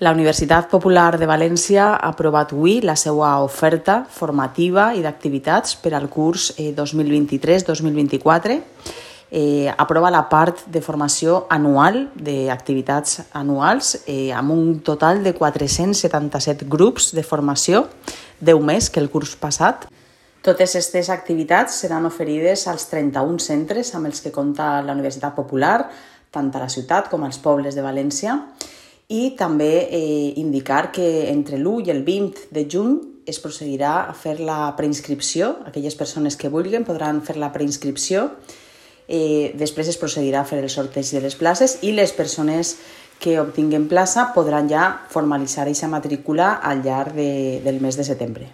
La Universitat Popular de València ha aprovat avui la seva oferta formativa i d'activitats per al curs 2023-2024. Aprova la part de formació anual, d'activitats anuals, amb un total de 477 grups de formació, 10 més que el curs passat. Totes aquestes activitats seran oferides als 31 centres amb els que compta la Universitat Popular, tant a la ciutat com als pobles de València. I també indicar que entre l'1 i el 20 de juny es procedirà a fer la preinscripció. Aquelles persones que vulguin podran fer la preinscripció. Després es procedirà a fer el sorteig de les places i les persones que obtinguen plaça podran ja formalitzar aquesta matrícula al llarg del mes de setembre.